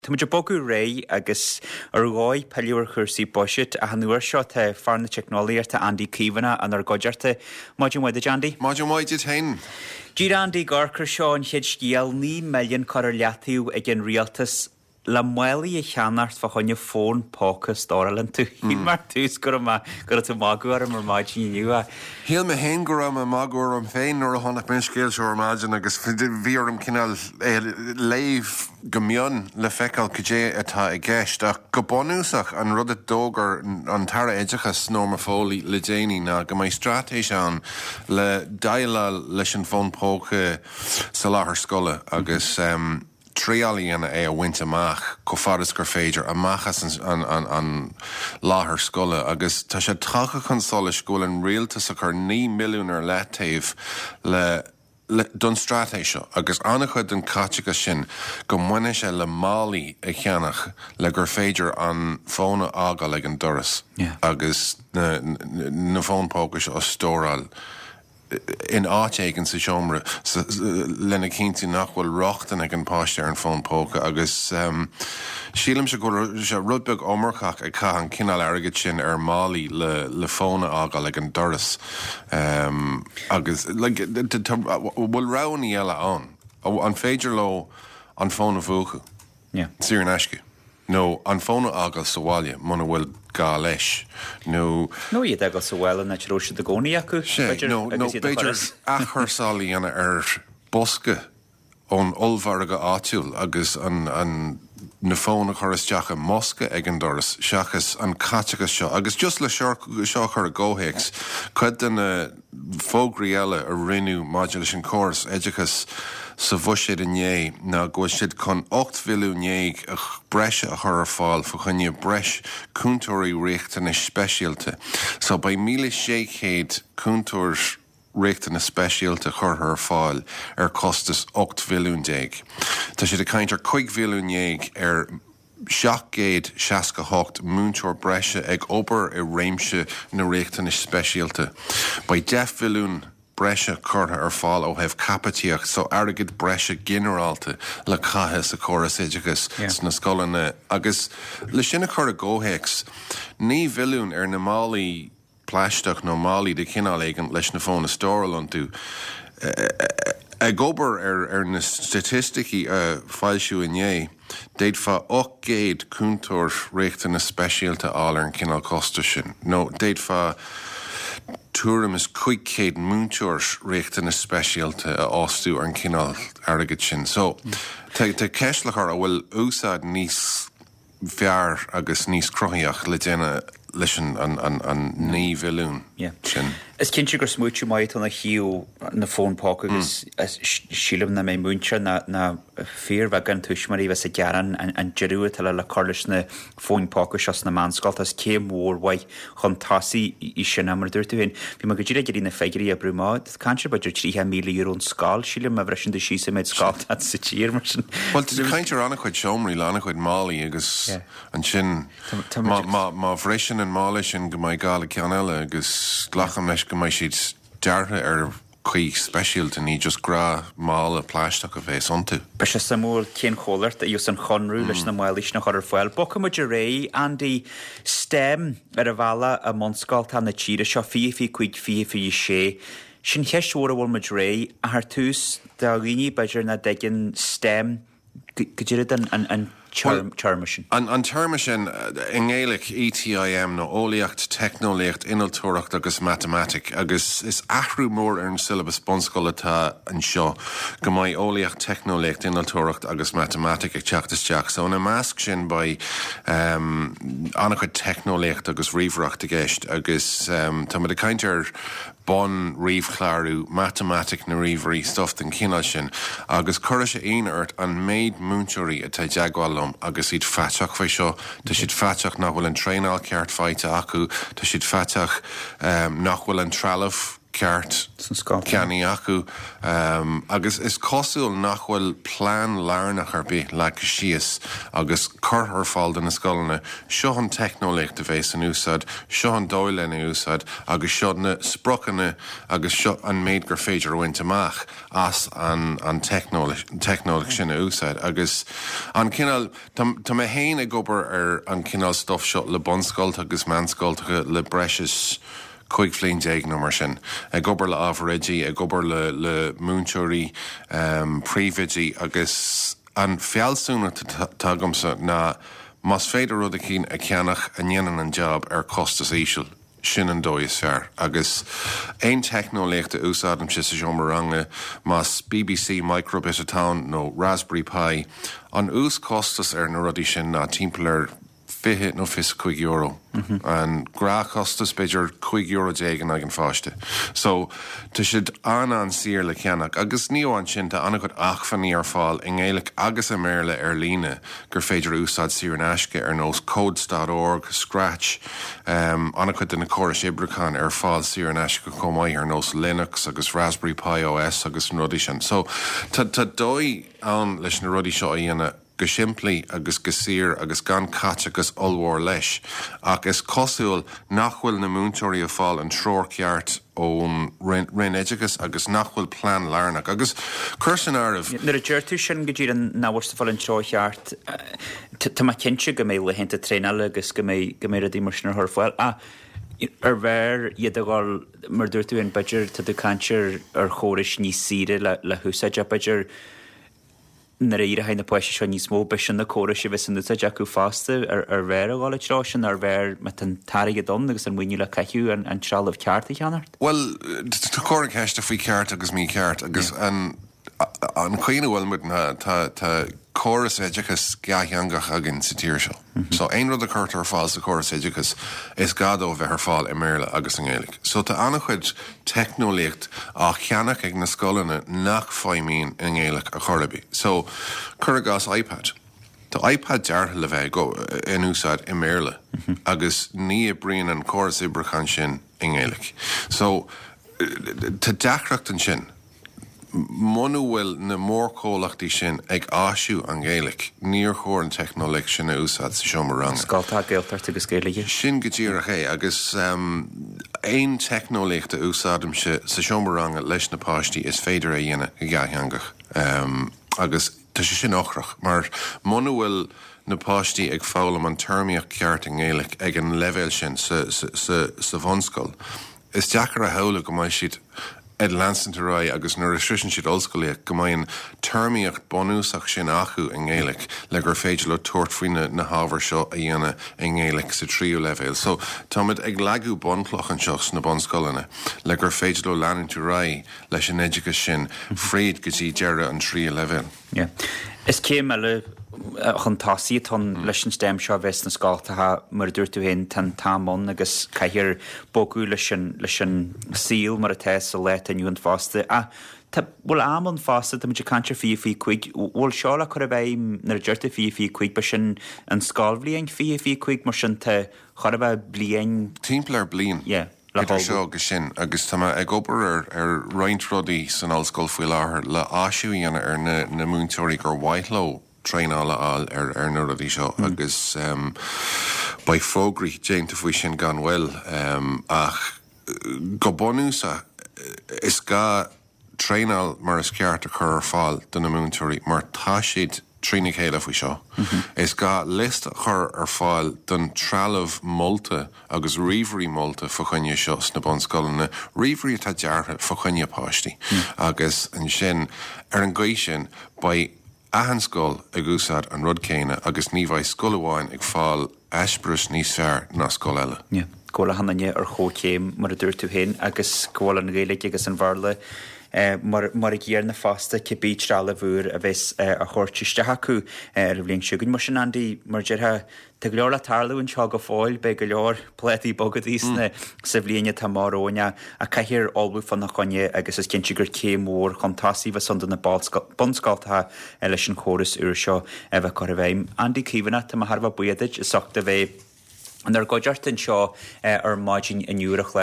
Tá muid ag bogadh ar aghaidh agus ar dhóigh pilleadh ar chúrsaí buiséid ach an uair seo tá fear na teicneolaíochta Andy Caomhánach inár gcuideachta. Maidin mhaith duit Andy. Maidin mhaith duit féin. Díreach Andy ag amharc ar seo an chéad scéal, 9 milliún curtha ar leataobh ag an rialtas le málaí a cheannacht fá choinne fón póca a stóráil iontu. Shíl mé ar tús go raibh mé, go raibh tú ag magadh orm ar maidin inniu ach. Shíl mé féin go raibh mé ag magadh orm féin nuair a chonaic mé an scéal seo ar maidin agus bhí orm cineál é a léamh go mion le feiceáil cad é atá i gceist. Ach go bunúsach, an rud a d'fhógair an tAire Oideachais, Norma Foley, le déanaí ná go mbeidh straitéis ann le déileáil leis an bhfón póca sa láthair scoile agus triail a dhéanamh é a bhaint amach chomh fada is gur féidir, amach as an láthair scoile. Agus tá sé tagtha chun solais go bhfuil an rialtas ag cur 9 milliún ar leataobh le don straitéis seo agus an-chuid den chaiteachas sin go mbainfidh sé le málaí a cheannach le gur féidir an fón a fhágáil ag an doras agus na fóin póca seo a stóráil in áit éigin sa seomra lena chinntiú nach bhfuil rochtain ag an bpáiste ar an bhfón póca agus sílimse go bhfuil sé rud beag iomarcach ag caitheamh an cineál airgid sin ar mhálaí le fón a fhágáil ag an doras. Agus like tá, bhfuil roghanna eile ann? An féidir leo an fón a mhúchadh saor in aisce? Nó an fón a fhágáil sa bhaile muna bhfuil gá leis? Nó. Nó iad a fhágáil sa bhaile an áit a raibh siad i gcónaí acu, b'fhéidir, agus iad a chur as. Nó b'fhéidir athchúrsáil a dhéanamh ar bosca ón ollmhargadh áitiúil agus an na fóin a chur isteach i mbosca ag an doras seachas an caiteachas seo. Agus just le seo a chur i gcomhthéacs, cuid de na fógraí eile a rinneadh maidir leis an chóras oideachais sa bhuiséad inné ná go bhfuil siad chun 18 mhilliún breise a chur ar fáil fa choinne breis cúntóirí riachtanais speisialta. So beidh 1,600 cúntóir riachtanas speisialta curtha ar fáil ar chostas 18 mhilliún. Tá siad ag caint ar 15 mhilliún ar 768 múinteoir breise ag obair i réimse na riachtanais speisialta. Beidh 10 mhilliún breise curtha ar fáil ó thaobh caipitíocht, so airgead breise ginearálta le caitheamh sa chóras oideachais sna scoileanna. Agus le sin a chur i gcomhthéacs, 9 mhilliún ar na málaí plaisteach nó málaí de chineál éigin leis na fóin a stóráil iontu. Ag obair ar na staitisticí a foilsíodh inné, d'fhéadfá 800 cúntóir riachtanas speisialta a fháil ar an chineál costais sin, nó d'fhéadfá tuairim is 500 múinteoir riachtanas speisialta a fhostú ar an chineál airgid sin. So, tá ceist le cur, an bhfuil úsáid níos fearr agus níos cruthaíoch le déanamh leis an 9 mhilliún sin. Is cinnte gur smaoitiú maith atá ann ó thaobh na fón póca agus sílim nach mbeidh múinteoir ná fíorbheagán tuismitheoirí a bheas ag gearán an deireadh atá le cur leis na fóin póca seo sna meánscolta. Is céim mhór mhaith chun tosaigh í sin. Mar a dúirt tú féin, bhí mé go díreach ag iarraidh na figiúirí a oibriú amach. Tá caint ar b'fhéidir €30,000 an scoil, sílim, má bhriseann tú síos an méid scoil atá sa tír, mar sin. Bhuel, tá caint ar an-chuid seomraí le an-chuid málaí agus ansin má bhriseann an mála sin go mbeidh gá le ceann eile agus glacaim leis go mbeidh siad deartha ar chaoi speisialta, ní just gnáth-mhála plaisteach a bheas iontu. Beidh sé suimiúil cén chomhlacht a gheobhas an conradh leis na málaí sin a chur ar fáil. Bogfaidh muid ar aghaidh, Andy. STEM ar an bhealach i mbunscoltacha na tíre seo, 2025, 2026. Sin cheist mhór a bhfuil muid réidh, ach ar tús, do dhaoine b'fhéidir nach dtuigeann STEM, Cad é an téarma sin. An téarma sin, i nGaeilge, ETIM, nó Eolaíocht, Teicneolaíocht, Innealtóireacht agus Matamaitic, agus is athrú mór ar an siollabas bunscoile atá anseo, go mbeidh Eolaíocht, Teicneolaíocht, Innealtóireacht agus Matamaitic ag teacht isteach. So ina measc sin beidh an-chuid teicneolaíocht agus ríomhaireacht i gceist agus táimid ag caint ar bun-ríomhchlárú, matamaitic na ríomhairí, stuff den chineál sin, agus cuirfidh sé ionadh ort an méid múinteoirí atá i dteagmháil liom agus iad faiteach faoi seo. Tá siad faiteach nach bhfuil an traenáil ceart faighte acu, tá siad faiteach nach bhfuil an trealamh. ceart ceannaithe acu agus is cosúil nach bhfuil plean lárnach ar bith leagtha síos agus curtha ar fáil do na scoileanna, seo an teicneolaíocht a bheas in úsáid, seo an dóigh lena úsáid agus seo na spriocanna agus seo an méid gur féidir a bhaint amach as an teicneolaíocht sin a úsáid. Agus an cineál, tá mé féin ag obair ar an cineál stuif seo le bunscoltacha agus meánscoltacha le breis is 15 bhliain nó mar sin, ag obair le ábhar oidí, ag obair le le múinteoirí, príomhoidí agus an fealsúnacht atá agamsa ná más féidir rud eicínt a cheannach a ndéanann an job ar chostas íseal, sin an dóigh is fearr. Agus aon teicneolaíocht a úsáidimse sa seomra ranga, más BBC Microbit atá ann nó Raspberry Pi, an uaschostas ar na rudaí sin ná timpeall ar €20 nó €25. An gnáthchostas, b'fhéidir €15 in aghaidh an pháiste. So, tá siad an-an-saor le ceannach. Agus ní amháin sin, tá an-chuid acmhainní ar fáil i nGaeilge agus i mBéarla ar líne gur féidir a úsáid saor in aisce, ar nós codes dot org, Scratch, an-chuid de na córais oibriúcháin ar fáil saor in aisce chomh maith, ar nós Linux agus Raspberry Pi OS agus na rudaí sin. So, tá dóigh ann leis na rudaí seo a dhéanamh. go simplí agus go saor agus gan caiteachas ollmhór leis, ach is cosúil nach bhfuil na múinteoirí ag fáil an treoir ceart ón Roinn Oideachais agus nach bhfuil plean lárnach. Agus cuir san áireamh. Nuair a deir tú sin go díreach nach bhfuil siad ag fáil an treoir cheart, tá mé cinnte go mbeidh laethanta traenála agus go mbeidh go mbeidh rudaí mar sin ar chur ar fáil. Ach ar bhfearr iad a dhul, mar a dúirt tú féin, b'fhéidir, tá tú ag caint ar chórais níos saoire le húsáid ach b'fhéidir, nuair a éireoidh na páistí seo níos mó, beidh sin na córais a bheas in úsáid acu fosta. Ar bhfearr a dhul an treo sin, ar bhfearr, má tá an t-airgead ann agus an maoiniú le caitheamh, an trealamh ceart a cheannacht? Bhuel, tá cor na ceiste faoi cheart agus mícheart agus an chaoi ina bhfuil muid ná tá córas oideachais dhátheangach againn sa tír seo. So aon rud a chuirtear ar fáil sa chóras oideachais is gá dó a bheith ar fáil i mBéarla agus i nGaeilge. So tá an-chuid teicneolaíocht á cheannach ag na scoileanna nach feidhmíonn i nGaeilge ar chor ar bith. So cuir i gcás iPad. Tá iPad deartha le bheith in úsáid i mBéarla agus ní oibríonn an córas oibriúcháin sin i nGaeilge. So tá deacracht ansin. Muna bhfuil na mórchomhlachtaí sin ag áisiú an Ghaeilge, níor chóir an teicneolaíocht sin a úsáid sa seomra ranga. Scoltacha Gaeltachta agus Gaeilge. Sin go díreach é, agus aon teicneolaíocht a úsáidimse sa seomra ranga leis na páistí is féidir é a dhéanamh go dhátheangach. Agus tá sé sin ocrach, mar muna bhfuil na páistí ag foghlaim an téarmaíocht cheart i nGaeilge ag an leibhéal sin sa bhunscoil, is deacair a shamhlú go mbeidh siad ag leanstant ar aghaidh agus nuair a shroiseann siad ollscolaíocht go mbeidh an téarmaíocht bunúsach sin acu i nGaeilge le gur féidir leo tabhairt faoi na hábhair seo a dhéanamh i nGaeilge sa tríú leibhéal. So táimid ag leagadh bunchloch anseo sna bunscoileanna le gur féidir leo leanúint ar aghaidh leis an oideachas sin fríd go dtí deireadh an tríú leibhéal. Yeah. Is céim eile chun tosaigh atá ann leis an STEM seo a bheith sna scoltacha, mar a dúirt tú féin, tá an t-am ann agus caithfear bogadh leis an, leis an saol mar atá sa lá atá inniu ann fosta. Ach tá, bhfuil am ann fosta, tá muid ag caint ar 2025, bhfuil seo le cur i bhfeidhm nuair a deir tú 2025, b'é sin an scoilbhliain 2025, mar sin tá chóir a bheith bliain. Timpeall ar bliain. Yeah. idir seo agus sin agus tá mé ag obair ar ar roinnt rudaí san ollscoil faoi láthair le áisiú a dhéanamh ar na na múinteoirí gur mhaith leo traenáil a fháil ar ar na rudaí seo agus beidh fógraí déanta faoi sin gan mhoill ach go bunúsach is gá traenáil mar is ceart a chur ar fáil do na múinteoirí mar tá siad trína chéile faoi seo. Is gá liosta a chur ar fáil don trealamh molta agus ríomhairí molta fa choinne seo sna bunscoileanna, ríomhairí atá deartha fa choinne páistí agus ansin ar an gcaoi sin beidh achan scoil ag úsáid an rud céanna agus ní bheidh scoil amháin ag fáil eispéireas níos fearr ná scoil eile. Yeah. Go bhfuil achan duine ar chomhchéim, mar a dúirt tú féin, agus go bhfuil an Ghaeilge agus an Bhéarla mar mar a gcéanna fosta, cibé trealamh úr a bheas á thabhairt isteach acu ar an bhliain seo chugainn. Mar sin, Andy, mar a déarfá, tá go leor le tarlú anseo go fóill, beidh go leor plátaí bogadaí sna sa bhliain atá amach romhainn ach caithfear ullmhú fána choinne agus is cinnte gur céim mhór chun tosaigh a bheas ann do na bunscoltacha leis an chóras úr seo a bheith curtha i bhfeidhm. Andy Caomhánach, tá mé thar a bheith buíoch duit as ucht a bheith inár gcuideachta anseo ar maidin inniu ar an chlár.